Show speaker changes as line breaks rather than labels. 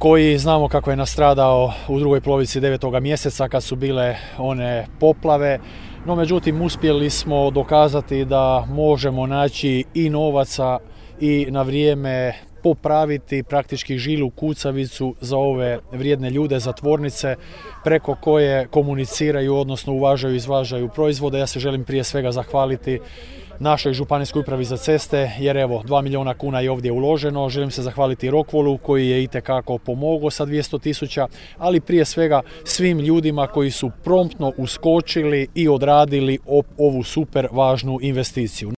koji znamo kako je nastradao u drugoj polovici 9. mjeseca kad su bile one poplave. No međutim uspjeli smo dokazati da možemo naći i novaca i na vrijeme popraviti praktički žilu kucavicu za ove vrijedne ljude, za tvornice preko koje komuniciraju, odnosno uvažaju i izvažaju proizvode. Ja se želim prije svega zahvaliti našoj županijskoj upravi za ceste, jer evo 2 milijuna kuna je ovdje uloženo. Želim se zahvaliti Rockwoolu koji je itekako pomogao sa 200.000, ali prije svega svim ljudima koji su promptno uskočili i odradili ovu super važnu investiciju.